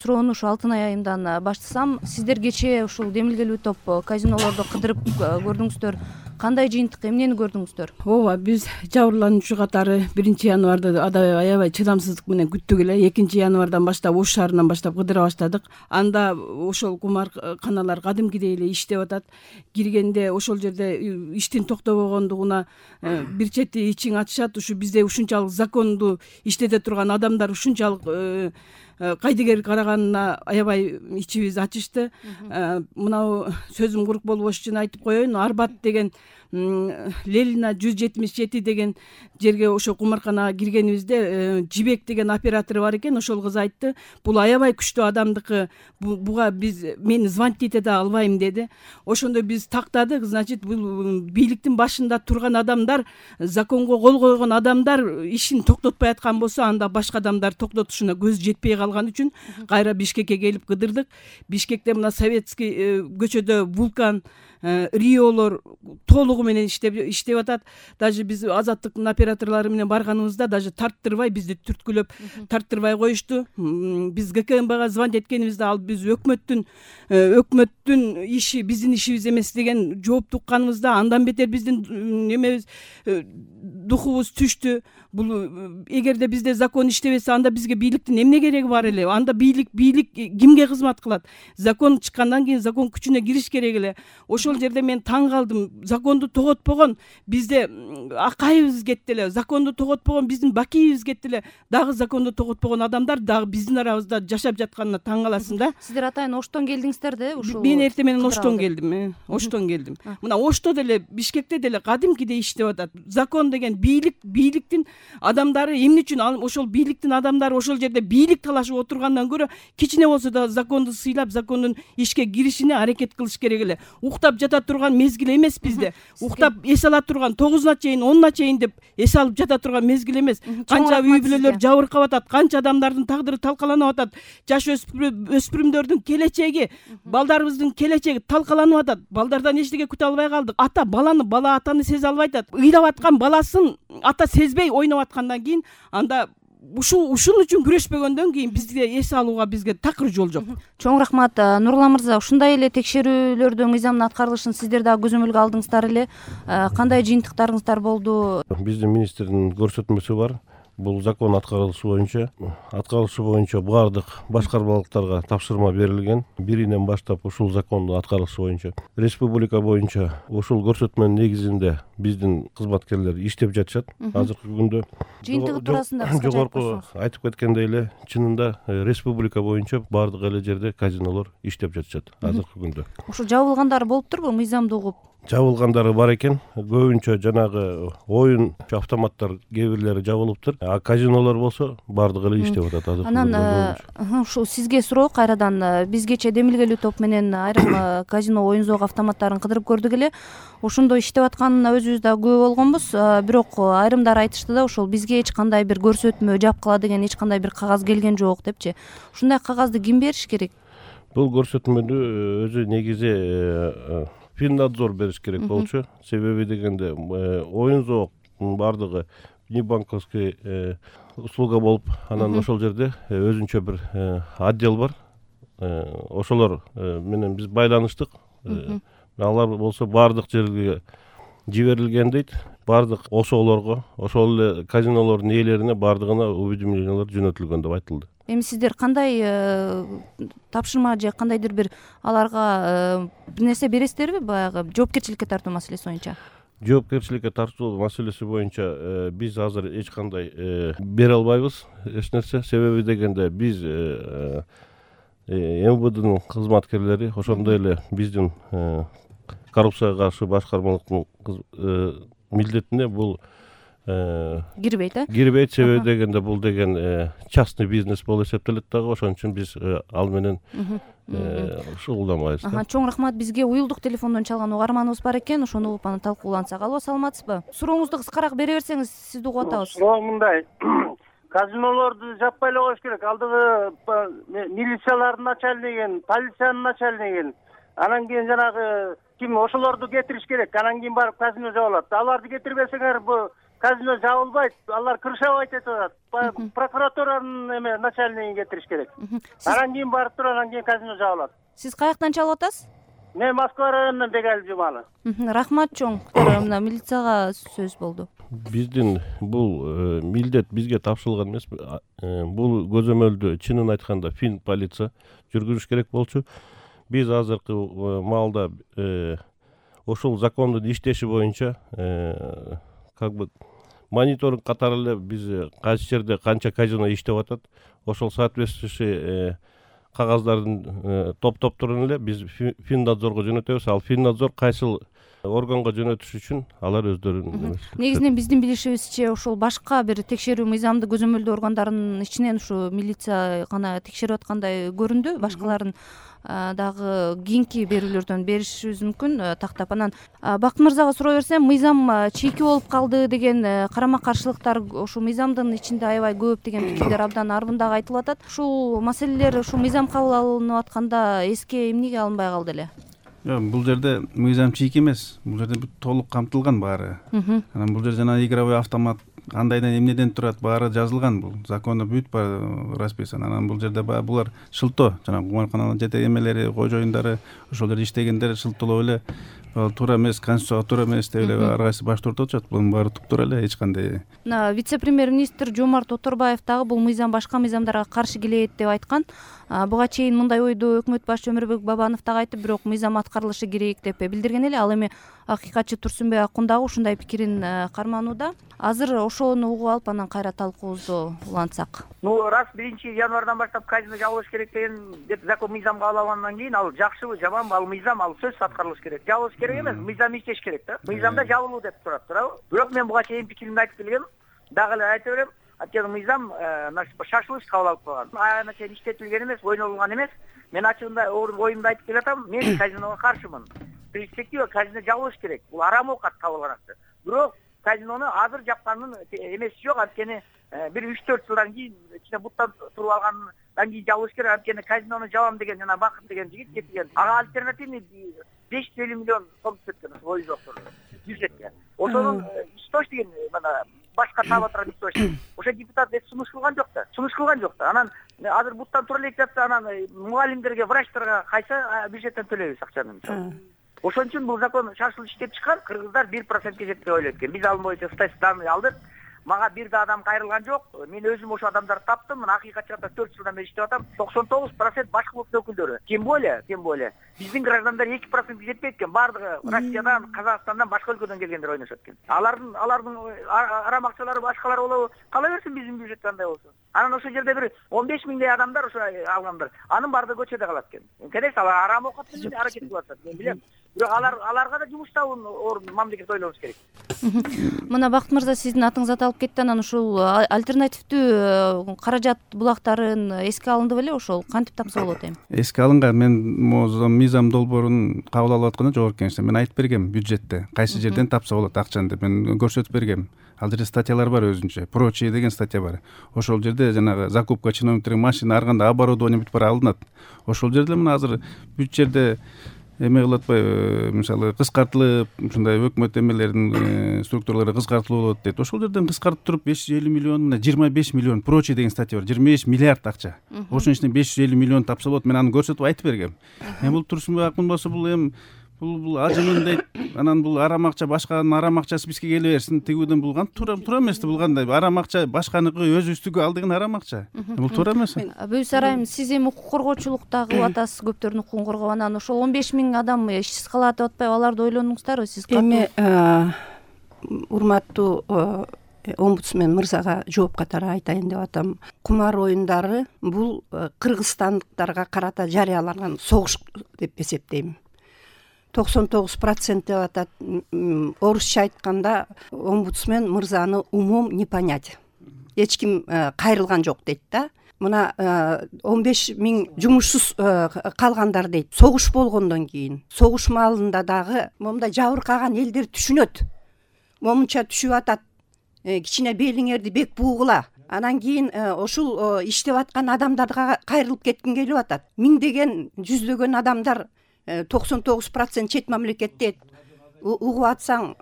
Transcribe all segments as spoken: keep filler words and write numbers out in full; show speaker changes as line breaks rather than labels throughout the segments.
суроону ушу Алтынай айымдан баштасам. Сиздер кечээ ушул демилгелүү топ казинолорду кыдырып көрдүңүздөр. Кандай жыйынтык, эмнени көрдүңүздөр?
Ооба, биз жабырлануучу катары биринчи январды аябай чыдамсыздык менен күттүк эле. экинчи январдан баштап Ош шаарынан баштап кыдыра баштадык. Анда ошол кумарканалар кадимкидей эле иштеп атат. Киргенде ошол жерде иштин токтобогондугуна бир чети ичиң ачышат. Ушу бизде ушунчалык законду иштете турган адамдар ушунчалык кайдыгер караганына аябай ичибиз ачышты. Мынау сөзүм курук болбош үчүн айтып коеюн. Арбат деген Ленина жүз жетимиш жети деген жерге ошо кумарканага киргенибизде Жибек деген оператор бар экен. Ошол кыз айтты, бул аябай күчтүү адамдыкы, буга биз мени звонить эте албайм деди. Ошондо биз тактадык. Значит, бул бийликтин башында турган адамдар, законго кол койгон адамдар ишин токтотпай аткан болсо, анда башка адамдар токтотушуна көз жетпей калган үчүн кайра Бишкекке келип кыдырдык. Бишкекте мына Советский көчөдө Вулкан, Риолор толугу менен иштеп иштеп атат. Даже биз Азаттыктын операторлору менен барганыбызда даже тарттырбай, бизди түрткүлөп тарттырбай коюшту. Биз ГКМБга звонить эткенибизде ал биз өкмөттүн өкмөттүн иши биздин ишибиз эмес деген жооп укканыбызда андан бетер биздин немебиз духубуз түштү. Бул эгерде бизде закон иштебесе, анда бизге бийликтин эмне кереги бар эле? Анда бийлик бийлик кимге кызмат кылат? Закон чыккандан кийин закон күчүнө кириш керек эле. Ошол жерде мен таң калдым. Законду тоготпогон бизде Акаевибиз кетти эле. Законду тоготпогон биздин Бакиевибиз кетти эле. Дагы законду тоготпогон адамдар дагы биздин арабызда жашап жатканына таң каласың да.
Сиздер атайын Оштон келдиңиздер да, ушул?
Мен эртең менен Оштон келдим. Оштон келдим. Мына Ошто деле, Бишкекте деле кадимкидей иштеп атат. Закон деген бийлик, бийликтин адамдары эмне үчүн ошол бийликтин адамдары ошол жерде бийлик талашып отургандан көрө кичине болсо да законду сыйлап, закондун ишке киришине аракет кылыш керек эле. Уктап жата турган мезгил эмес бизде. Уктап эс ала турган тогузуна чейин, онуна чейин деп эс алып жата турган мезгил эмес. Канча үй бүлөлөр жабыркап атат, канча адамдардын тагдыры талкаланып атат. Жаш өспүрүмдөрдүн келечеги, балдарыбыздын келечеги талкаланып атат. Балдардан эчтеке күтө албай калдык. Ата баланы, бала атаны сезе албай атат. Ыйлап аткан баласын ата сезбей ойноп аткандан кийин анда ушул ушун үчүн күрөшпөгөндөн кийин бизге эс алууга бизге такыр жол жок.
Чоң рахмат Нурлан мырза. Ушундай эле текшерүүлөрдүн мыйзамдын аткарылышын сиздер дагы көзөмөлгө алдыңыздар эле. Кандай жыйынтыктарыңыздар болду?
Биздин министрдин көрсөтмөсү бар. Бул закон аткарылышы боюнча, аткарылышы боюнча баардык башкармалыктарга тапшырма берилген. Биринен баштап ушул закондун аткарылышы боюнча республика боюнча ушул көрсөтмөнүн негизинде биздин кызматкерлер иштеп жатышат азыркы күндө.
Жыйынтыгы туурасында
жогорку айтып кеткендей эле, чынында республика боюнча баардык эле жерде казинолор иштеп жатышат азыркы күндө.
Ушул жабылгандары болуптурбу, мыйзамды угуп?
Жабылгандары бар экен. Көбүнчө жанагы оюн автоматтар кээ бирлери жабылыптыр. А казинолор болсо баардыгы эле иштеп атат азыр.
Анан ушул сизге суроо кайрадан. Бизгече демилгелүү топ менен айрым казино, оюн зоок автоматтарын кыдырып көрдүк эле. Ошондо иштеп атканына өзүбүз да күбө болгонбуз. Бирок айрымдар айтышты да, ошол бизге эч кандай бир көрсөтмө, жапкыла деген эч кандай бир кагаз келген жок депчи. Ушундай кагазды ким бериш керек?
Бул көрсөтмөнү өзү негизи Финнадзор бериш керек болчу. Себеби дегенде оюн зооктун баардыгы небанковский услуга болуп, анан ошол жерде өзүнчө бир отдел бар. Ошолор менен биз байланыштык. Алар болсо баардык жерге жиберилген дейт. Баардык ошолорго, ошол эле казинолордун ээлерине баардыгына уведомлениялар жөнөтүлгөн деп айтылды.
Эми сиздер кандай тапшырма же кандайдыр бир аларга бир нерсе бересиздерби, баягы жоопкерчиликке тартуу маселеси боюнча?
Жоопкерчиликке тартуу маселеси боюнча биз азыр эч кандай бере албайбыз эч нерсе. Себеби дегенде биз эм вэ дэнын кызматкерлери, ошондой эле биздин коррупцияга каршы башкармалыктын милдетине бул
кирбейт, э?
Кирбейт. Себеби дегенде бул деген частный бизнес болуп эсептелет дагы. Ошон үчүн биз ал менен шугулданбайбыз.
Чоң рахмат. Бизге уюлдук телефондон чалган угарманыбыз бар экен. Ошону угуп аны талкуулансак. Алло, саламатсызбы? Сурооңузду кыскараак бере берсеңиз, сизди угуп атабыз.
Суроо мындай. Казинолорду жаппай эле коюш керек. Алдыгы милициялардын начальниги, полициянын начальниги, анан кийин жанагы ким ошолорду кетириш керек. Анан кийин барып казино жабылат. Аларды кетирбесеңер, бу казино жабылбайт, алар крышабайт этип атат. Прокуратуранын эме начальнигин кетириш керек. Анан кийин барып туруп анан кийин казино жабылат.
Сиз каяктан чалып атасыз?
Мен Москва районунан Бегалиев Жумалы.
Рахмат чоң. Мына милицияга сөз болду.
Биздин бул милдет бизге тапшырылган эмес. Бул көзөмөлдү чынын айтканда фин полиция жүргүзүш керек болчу. Биз азыркы маалда ошол закондун иштеши боюнча как бы мониторинг катары эле биз кайсы жерде канча казино иштеп атат, ошол соответствующий кагаздардын топтоп турун эле биз Финдадзорго жөнөтөбүз. Ал Финдадзор кайсыл органга жөнөтүш үчүн алар өздөрүнүн
негизинен биздин билишибизче ошол башка бир текшерүү мыйзамды көзөмөлдөө органдарынын ичинен ушу милиция гана текшерип аткандай көрүндү. Башкаларын дагы кийинки берүүлөрдөн беришибиз мүмкүн тактап. Анан Бакыт мырзага суроо берсем, мыйзам чийки болуп калды деген карама каршылыктар ушул мыйзамдын ичинде аябай көп деген пикирлер абдан арбындагы айтылып атат. Ушул маселелер ушул мыйзам кабыл алынып атканда эске эмнеге алынбай калды эле?
Бул жерде мыйзам чийки эмес, бул жерде толук камтылган баары. Анан бул жерде жана игровой автомат кандайдан эмнеден турат баары жазылган, бул закондо бүт баары расписан. Анан бул жерде баягы булар шылтоо, жана кумарканалардын жете эмелери, кой жоюндары, ошол жерде иштегендер шылтоолоп эле туура эмес, конституцияга туура эмес деп эле ар кайсы баш тартып атышат. Бунун баары туптура эле, эч кандай.
Мына вице-премьер-министр Жомарт Оторбаев дагы бул мыйзам башка мыйзамдарга каршы келет деп айткан. Буга чейин мындай ойду өкмөт башчы Өмүрбек Бабанов дагы айтып, бирок мыйзам аткарылышы керек деп билдирген эле. Ал эми акыйкатчы Турсунбек Акун дагы ушундай пикирин карманууда. Азыр ошону угуп алып анан кайра талкуубузду улантсак.
Ну, раз биринчи январдан баштап казино жабылыш керек деген деп закон мыйзам кабыл алгандан кийин ал жакшыбы, жаманбы, ал мыйзам, ал сөзсүз аткарылыш керек. Жабылыш керек эмес, мыйзам иштеш керек да. Мыйзамда жабылуу деп турат, туурабы? Бирок мен буга чейин пикиримди айтып келгем. Дагы эле айта берем. Анткени мыйзам шашылыш кабыл алып калган. Аягына чейин иштетилген эмес, ойнолгон эмес. Мен ачыгында оюмду айтып келатам. Мен казиного каршымын. Перспектива казино жабылыш керек. Бул арам оокат кабылган акча. Бирок казинону азыр жапкандын эмеси жок. Анткени бир үч төрт жылдан кийин ичине буттан туруп алгандан кийин жабылыш керек. Анткени казинону жабам деген жана Бакыт деген жигит кеткен. Ага альтернативный беш жүз элүү миллион сом түшөткөн ой жоктур бюджетке. Ошонун истош деген мына башка таап атырган истош. Ошо депутат эч сунуш кылган жок да. Сунуш кылган жок да. Анан азыр буттан тура элек жатса, анан мугалимдерге, врачтарга кайсы бюджеттен төлөйбүз акчаны. Ошон үчүн бул закон шашылып иштеп чыккан. Кыргыздар бир процентке жетпей ойлойт экен. Биз ал боюнча статистиканы алдык. Мага бир да адам кайрылган жок. Мен өзүм ошо адамдарды таптым. Мына акыйкатчы төрт жылдан бери иштеп атам. токсон тогуз процент башкы улуттун өкүлдөрү. Тем более, тем более биздин граждандар эки процентке жетпейт экен. Бардыгы Россиядан, Казакстандан, башка өлкөдөн келгендер ойношот экен. Алардын алардын арам акчалары башкалар болобу? Кала берсин биздин бюджет кандай болсо. Анан ошол жерде бир он беш миңдей адамдар ошо алгандар. Анын бардыгы көчөдө калат экен. Конечно, алар арам оокат менен аракет кылып атат. Мен билем. Бирок алар аларга да жумуш табуун орун мамлекет ойлонуш керек.
Мына Бакыт мырза, сиздин атыңыз аталып кетти. Анан ушул альтернативдүү каражат булактарын эске алынды беле? Ошол кантип тапса болот эми?
Эске алынган. Мен мыйзам долбоорун кабыл алып атканда жогорку кеңеште мен айтып бергем бюджетте кайсы жерден тапса болот акчаны деп мен көрсөтүп бергем. Ал жерде статьялар бар өзүнчө. Прочие деген статья бар. Ошол жерде жанагы закупка чиновниктерин машина ар кандай оборудование бүт бара алынат. Ошол жерде мына азыр бүт жерде эме кылып атпайбы, мисалы кыскартылып, ушундай өкмөт эмелеринин структуралары кыскартылып болот дейт. Ошол жерден кыскартып туруп беш жүз элүү миллион, мына жыйырма беш миллион прочие деген статья бар. жыйырма беш миллиард акча. Ошонун ичинен беш жүз элүү миллион тапса болот. Мен аны көрсөтүп айтып бергем. Эми бул Турсунбек Акун болсо бул эми бул бул ажымын дейт. Анан бул арам акча башканын арам акчасы бизге келе берсин. Тигүүдөн булган туура туура эмес да, бул кандай арам акча башканыкы өзүбүздүкү ал деген арам акча. Бул туура эмес.
Бөйс Арайым, сиз эми укук коргоочулукта кылып атасыз, көптөрдүн укугун коргоп. Анан ошол он беш миң адам ишсиз калат деп атпайбы? Аларды ойлондуңуздарбы сиз?
Эми урматтуу омбудсмен мырзага жооп катары айтайын деп атам. Кумар оюндары бул кыргызстандыктарга карата жарыяланган согуш деп эсептейм. токсон тогуз процент деп атат. Орусча айтканда омбудсмен мырзаны умом не понять. Эч ким кайрылган жок дейт да. Мына он беш миң жумушсуз калгандар дейт. Согуш болгондон кийин, согуш маалында дагы момундай жабыркаган элдер түшүнөт. Момунча түшүп атат. Кичине белиңерди бек буугула. Анан кийин ошол иштеп аткан адамдарга кайрылып кеткин келип атат. Миңдеген, жүздөгөн адамдар токсон тогуз процент чет мамлекетте угуп атсаң,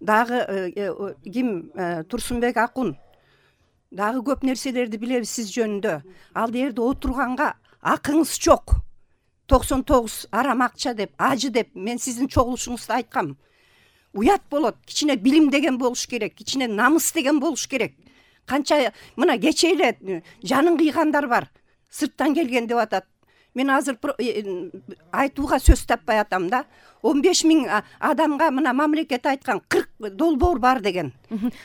дагы ким Турсунбек Акун дагы көп нерселерди билебиз сиз жөнүндө. Ал жерде отурганга акыңыз жок. токсон тогуз арам акча деп, ажы деп мен сиздин чогулушуңузда айткам. Уят болот. Кичине билим деген болуш керек, кичине намыс деген болуш керек. Канча мына кече эле жанын кыйгандар бар. Сырттан келген деп атат. Мен азыр айтууга сөз таппай атам да. он беш миң адамга мына мамлекет айткан кырк долбоор бар деген.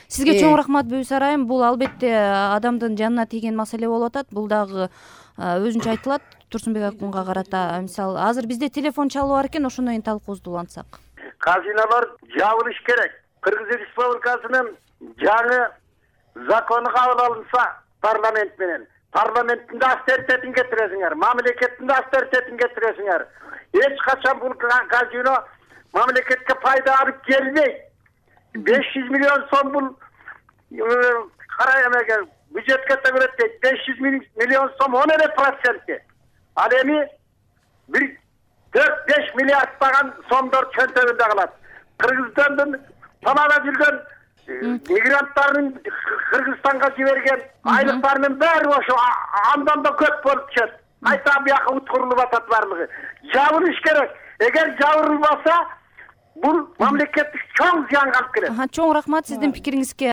Сизге чоң рахмат Бүбүс Арайым. Бул албетте адамдын жанына тийген маселе болуп атат. Бул дагы өзүнчө айтылат Турсунбек Акунга карата. Мисалы, азыр бизде телефон чалуу бар экен, ошондон кийин талкуубузду улантсак.
Казинолор жабылыш керек. Кыргыз Республикасынын жаңы закону кабыл алынса парламент менен, парламенттин да авторитетин кетиресиңер, мамлекеттин да авторитетин кетиресиңер. Эч качан бул казино мамлекетке пайда алып келбейт. беш жүз миллион сом бул карай эмеге бюджетке төгүлөт дейт. беш жүз миллион сом он эле проценти. Ал эми бир төрт беш миллиардтаган сомдор чөнтөгүндө калат. Кыргызстандын талаада жүргөн мигранттардын Кыргызстанга жиберген айлыктарынын баары ошо андан да көп болуп түшөт. Кайта бияка уткурулуп атат баардыгы. Жабылыш керек. Эгер жабырылбаса, бул мамлекеттик чоң зыянга алып келет.
Чоң рахмат сиздин пикириңизге.